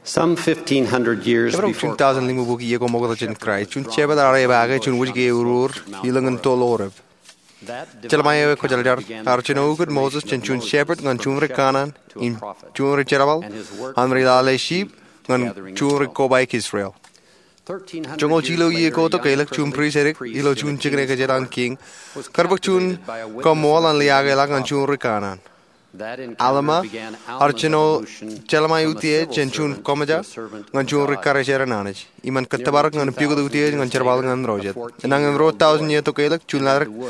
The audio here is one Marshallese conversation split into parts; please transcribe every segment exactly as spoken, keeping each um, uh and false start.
Some fifteen hundred years Emaroñ before juon taujin limubukwi iiō ko ṃokta jān Kraist, juon shepherd ear epaake juon wōjke eruur ilōñin toḷ orep. Jeremiah eo ekwōjarjar ear jino ukōt Moses jān juon shepherd ñan juon ri kanaan im juon ri jerbal, an ri lale sheep ñan juon ri kobaik Israel. Joñoul jilu iiō ko tokālik juon priest edik ilo juon jikin ekajet an king kar bōk juon kaṃool an liaakḷọk ñan juon ri kanaan. Alma ear jino Jeremiah eutiej jān juon kōṃōja ñan juon ri karijer an Anij im en kōttōpar ñan pukot eutiej ñan jerbal ñan ro jet. Enañin ruo taujin iiō tokālik juon ḷaddik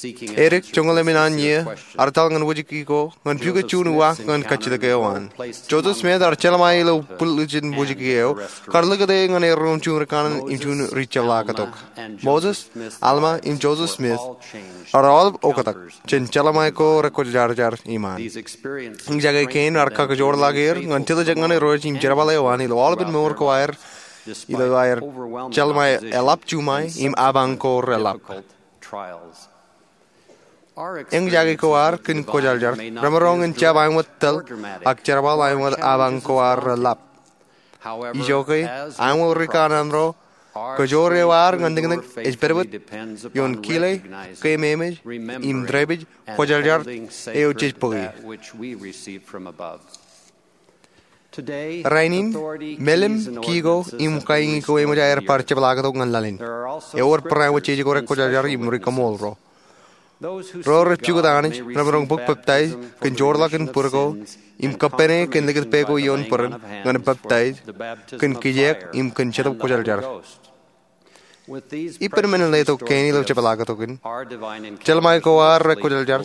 edik joñoul emān an iiō ear etal ñan wōjke ko ñan pukot juon uwaak ñan kajjitōk eo an. Joseph Smith ear Jeremiah ilo bwil ijin wōjke eo kar likūt e ñan erro im juon ri kanaan im juon ri jepḷaaktok. Moses, Alma im Joseph Smith ear aolep oktak jān Jeremiah ko rekwōjarjar iṃaan. Eñjake kein ear kakajoorḷọk er ñan jetōb jān Irooj im jerbal eo an ilo aolepān mour ko aer ilo aer Jeremiah eḷap juṃae im apañ ko reḷap. Eñjake ko ad kōn kwōjarjar remaroñ in jab aṃ wōt tōl ak jerbal aṃ wōt apañ ko ad reḷap. Ijoke, aṃ wōt ri kanaan ro, kajoor eo ad ñan tikōnik ej pedped ioon kile, keememej im dāpij kwōjarjar eo jej bōki. Rainin, melim, kiko im kaiñi ko eṃōj aer bar jepḷaaktok ñan laḷ in. Ewōr barāinwōt jeje ko rekwōjarjar im ri kaṃool ro. Ro rej pukot Anij remaroñ bōk peptaij kōn joorḷọk in bwidko im kappāne kōn likūt pā ko ioon bōran ñan peptaij kōn kijeek im kōn Jetōb Kwōjarjar. Ippān men in letok kein ilo jepḷaaktok in, Jeremiah ko ad rekwōjarjar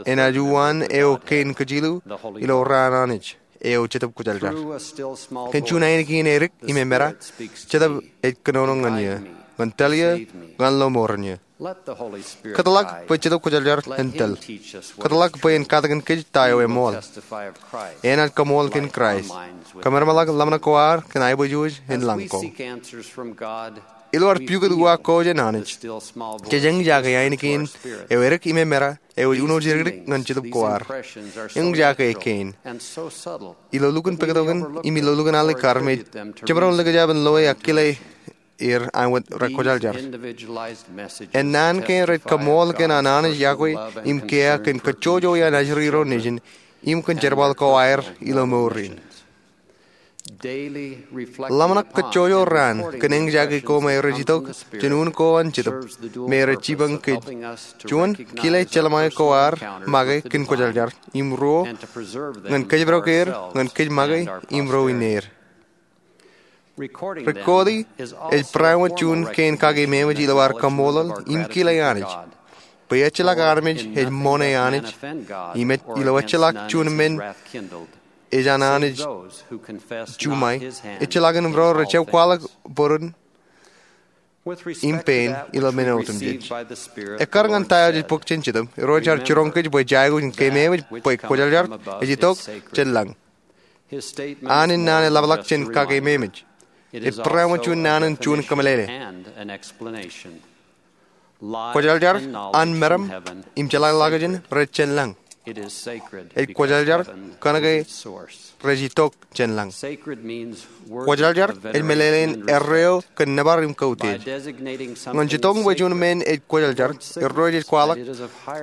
enaaj uwaan eo kein kajilu ilo raan Anij eo Jetōb Kwōjarjar. Kōn juon ainikien edik im emera, Jetōb ej kōnono ñan eō, ñan tōl eō, ñan lo mour in eō. Kōtḷọk bwe Jetōb Kwōjarjar en tōl. Kōtḷọk bwe en katakin kōj ta eo eṃool. Enaaj kaṃool kōn Kraist. Kōmemeḷọk ḷōmṇak ko ad kōn aiboojoj in lañ ko. Ilo ad pukot uwaak ko jān Anij, jej eñjake ainikien eo edik im emera eo ej uno jidikdik ñan jetōb ko ad. Eñjake kein. Ilo lukkuun pāktok in im ilo lukkuun alikkar me jemaroñ likjab in loe ak kile er aṃ wōt rekwōjarjar. Ennaan kein rej kaṃool kōn an Anij iọkwe im kiiō kōn kōjjojo iaan ajri ro nejin im kōn jerbal ko aer ilo mour in. Ḷōmṇak kōjjojo raan kōn eñjake ko me rej itok jān un ko an Jetōb me rej jipañ kōj. Juon, kile Jeremiah ko ad make kōn kwōjarjar, im ruo, ñan kōjparok er ñan kōj make im ro in er. Rikodi ej barāinwōt juon kein kakeememej ilo ad kaṃṃoolol im kile Anij bwe ejjeḷọk armej ej ṃoṇe Anij, im ej ilo ejjeḷọk juon men ej an Anij juṃae, ejjeḷọk in ro rej jab kwaḷọk būruon im pein ilo men otemjej. Ekkar ñan ta eo jej bōk jān Jetōb, Irooj ear jiroñ kōj bwe jej aikuj in keememej bwe kwōjarjar ej itok jān lañ. An in naan eḷapḷọk jān kakeememej. Ej barāinwōt juon naan in juon kōmeḷeḷe. Kwōjarjar an meram im jeḷāḷọkjeṇ rej jān lañ. Ej kwōjarjar kōnke rej itok jān lañ. Kwōjarjar ej meḷeḷein erreo kōn nōbar im kautiej. Ñan jitōñ bwe juon men ej kwōjarjar, Irooj ej kwaḷọk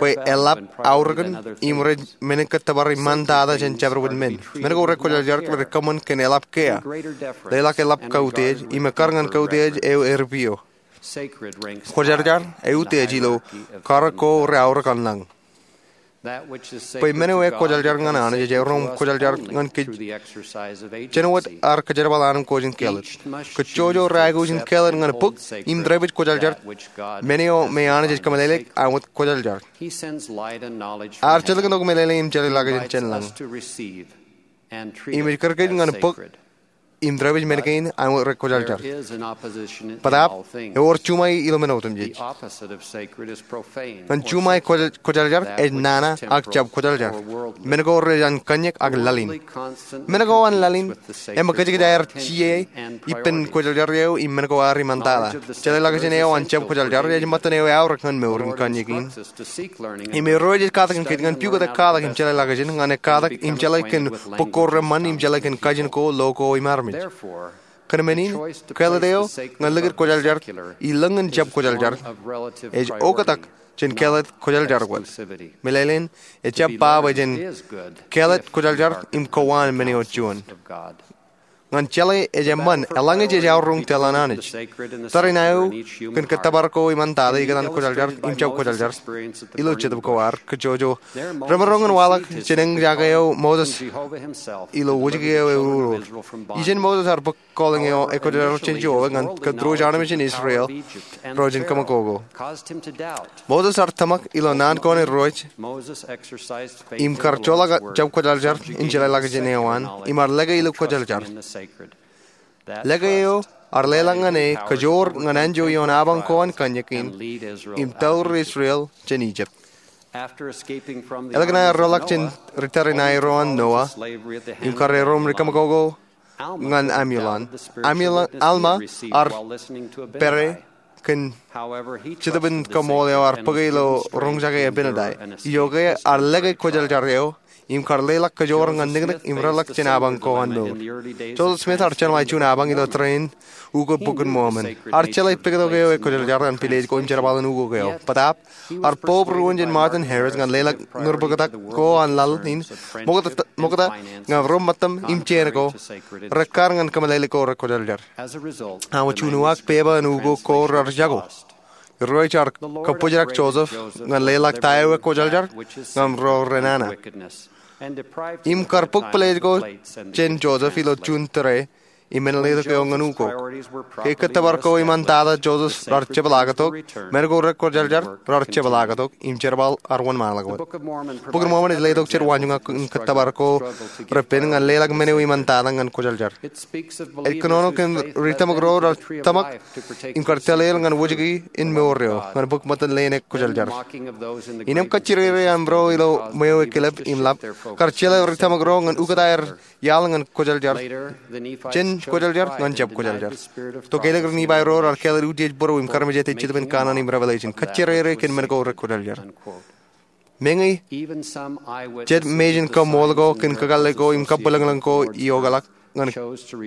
bwe eḷap aorōkin im rej men in kōttōpar iṃaan tata jān jabdewōt men. Men ko rekwōjarjar rej kōṃṃan kōn eḷap kiiō, leḷọk eḷap kautiej, im ekkar ñan kautiej eo eripio. Kwōjarjar eutiej ilo karōk ko reaorōk an lañ. Bwe men eo ekwōjarjar ñan Anij ej erom kwōjarjar ñan kōj jān wōt ad kōjerbal anemkwōj in kāālōt. Kōjjojo reaikuj in kāālōt ñan bōk im dāpij kwōjarjar men eo me Anij ej kōmeḷeḷeik aṃ wōt kwōjarjar. Ear jilkintok meḷeḷe im jeḷāḷọkjeṇ jān lañ im ej kūr kōj ñan bōk im diwōj men kein an wōt rekwōjarjar. Bōtaab, ewōr juṃae ilo men otemjej. Ñan juṃae kwōjarjar ej nana ak jab kwōjarjar. Men ko rej an kōnñak ak laḷ in. Men ko an laḷ in eṃōkajkōj aer jijet ippān kwōjarjar eo im men ko ad iṃaantata. Jeḷāḷọkjeṇ eo an jab kwōjarjar ej ṃōttan eo eaorōk ñan mour in kōnñak in. Im Irooj ej katak kōj ñan pukot ekkatak im jeḷāḷọkjeṇ ñan ekkatak im jeḷā kōn bōk ko reṃṃan im jeḷā kōn kajin ko, lo ko im armej. Kōn men in, kāālōt eo ñan likūt kwōjarjar ilōñ in jab kwōjarjar ej oktak jān kāālōt kwōjarjar wōt. Meḷeḷein, ejjab ba bwe jen kāālōt kwōjarjar im kowaan men eo juon. Ñan jeḷā ej eṃṃan, eḷaññe jej aorōk tōl an Anij. Tariṇae eo kōn kōttōpar ko iṃaantata ikōtaan kwōjarjar im jab kwōjarjar ilo jetōb ko ad kajjojo. Remaroñ in waḷọk jān eñjake eo Moses ilo wōjke eo eruoḷoḷ. Ijin Moses ear bōk kōḷañ eo ekwōjarjar jān Jeova ñan kōtdruj armej in Israel ro jān kōṃakoko. Moses ear tōmak ilo naan ko an Irooj im kar joḷọk jab kwōjarjar in jeḷāḷọkjeṇ eo an im ear lōke ilo kwōjarjar. Lōke eo ear leḷọk ñan e kajoor ñan anjọ ioon abañ ko an kōnñak in im tour Israel jān Ijipt. Eḷak an ear roḷọk jān ri tariṇae ro an Noa im kar erom ri kōṃakoko ñan Amulon. Amulon, Alma ear pere kōn jetōb in kaṃool eo ear bōke ilo roñjake Abinadi. Ijoke ear lōke kwōjarjar eo im kar leḷọk kajoor ñan niknik im reḷọk jān abañ ko an mour. Joseph Smith ear jeṇe juon abañ ilo tōre in ukōt Bok in Mormon. Ear jeḷā pektok eo ekwōjarjar an pilej ko im jerbal in ukok eo. Bōtaab, ear bōb ruōn jān Martin Harris ñan leḷọk ñūr bōktak ko an laḷ in ṃokta, ṃokta ñan ro ṃōttam im jān ko rekkar ñan kōmeḷeḷe ko rekwōjarjar. Aṃ juon uwaak pepa in ukok ko raar jako. Irooj ear kabōjrak Joseph ñan leḷọk ta eo ekwōjarjar ñan ro renana. Im kar bōk pilej ko jān Joseph ilo juon tōre im men letok eo ñan ukok. Ke kōttōpar ko iṃaantata Joseph raar jepḷaaktok, men ko rekwōjarjar raar jepḷaaktok, im jerbal ear wōnṃaanḷọk wōt. Bok in Mormon ej letok jet waanjoñak in kōttōpar ko repen ñan leḷọk men eo iṃaantata ñan kwōjarjar. Ej kōnono kōn ri tōmak ro raar tōmak im kar tōl er ñan wōjke in mour eo ñan bōk ṃōttan leen ekwōjarjar. Innām kajjirere aṃro ilo ṃweo eo ekilep im ḷap, kar jeḷā ri tōmak ro ñan ukōt aer iaḷ ñan kwōjarjar, jān kwōjarjar ñan jab kwōjarjar. Tokālik ri Nifai ro raar kāālōt utiej būruō im karmejete Jetōb in Kanaan im Revelation, kajjirere kōn men ko rekwōjarjar. Meñe jet mejān kaṃool ko kōn kakōlle ko im kabwilōñlōñ ko iokḷọk ñan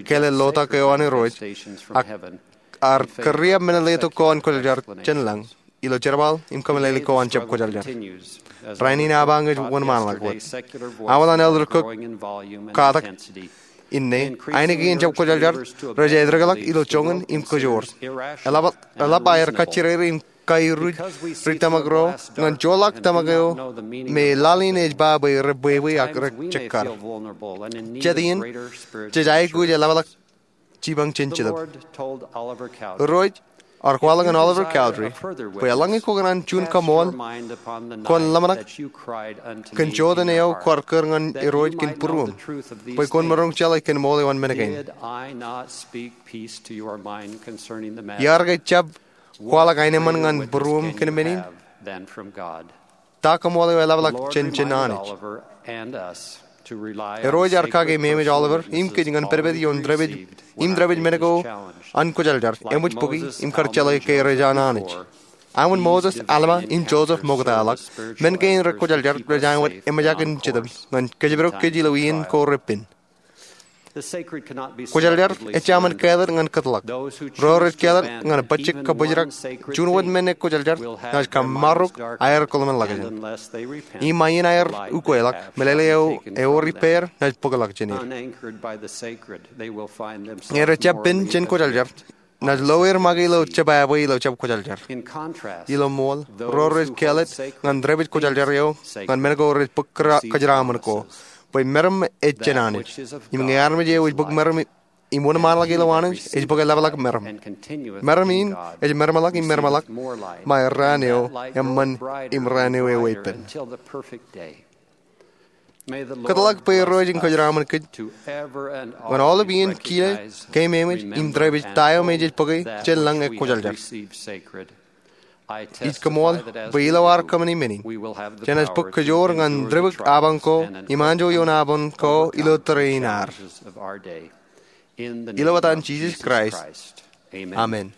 kāāle lotak eo an Irooj, ak ear kūriab men letok ko an kwōjarjar jān lañ ilo jerbal im kōmeḷeḷe ko an jab kwōjarjar. Rainin abañ ej wōnṃaanḷọk wōt. Aolep an Elder Cook katak inne, ainikien jab kwōjarjar rej aetokḷọk ilo joñan im kōjoor. Eḷap, eḷap aer kajjirere im kairuj ri tōmak ro ñan joḷọk tōmak eo me laḷ in ej ba bwe rebwebwe ak rejekkar. Jet iien, jej aikuj eḷapḷọk jipañ jān Jetōb. Irooj ear kwaḷọk ñan Oliver Cowdery bwe eḷaññe kwōkōṇaan juon kaṃool, kwōn ḷōmṇak kōn joteen eo kwaar kūr ñan Irooj kōn būruōṃ, bwe kwōn maroñ jeḷā kōn ṃool eo an men kein. Iar ke jab kwaḷọk aenōṃṃan ñan būruōṃ kōn men in? Ta kaṃool eo eḷapḷọk jān, jān Anij? Irooj ear kake memeej Oliver im kōj ñan pedped ioon dāpij im dāpij men ko an kwōjarjar eṃōj bōki im kar jeḷā ke rej an Anij. Aṃ wōt Moses, Alma im Joseph ṃoktaḷọk, men kein rekwōjarjar rej aṃ wōt eṃōjak in Jetōb ñan kōjparok kōj ilo iien ko repen. Kwōjarjar ejjaṃōn kāālōt ñan kōtḷọk. Ro rej kāālōt ñan bajjek kabōjrak juon wōt men ekwōjarjar naaj kōṃṃarok aer kōḷmānḷọkjeṇ. Im ṃae in aer ukweḷọk, meḷeḷe eo ewōr ippāer naaj bōkḷọk jān er. Ñe rej jab pen jān kwōjarjar, naaj lo er make ilo jebwābwe ilo jab kwōjarjar. Ilo ṃool, ro rej kāālōt ñan dāpij kwōjarjar eo ñan men ko rej bōk kōjeraṃṃan ko, bwe meram ej jān Anij. Im ñe armej eo ej bōk meram im wōnṃaanḷọk ilo Anij ej bōk eḷapḷọk meram. Meram in ej meramḷọk im meramḷọk, ṃae raan eo eṃṃan im raan eo eweeppān. Kōtḷọk bwe Irooj en kōjeraaṃṃan kōj ñan aolep iien kile, keememej im tōrepej ta eo me jej bōke jān lañ ekwōjarjar. Ij koṃṃool bwe ilo ad kōṃṃani men in, jenaaj bōk kōjoor ñan tōrepik apañ ko im anjọ ioon apañ ko ilo tōre in ad. Ilo etan Jisōs Kraist, amen.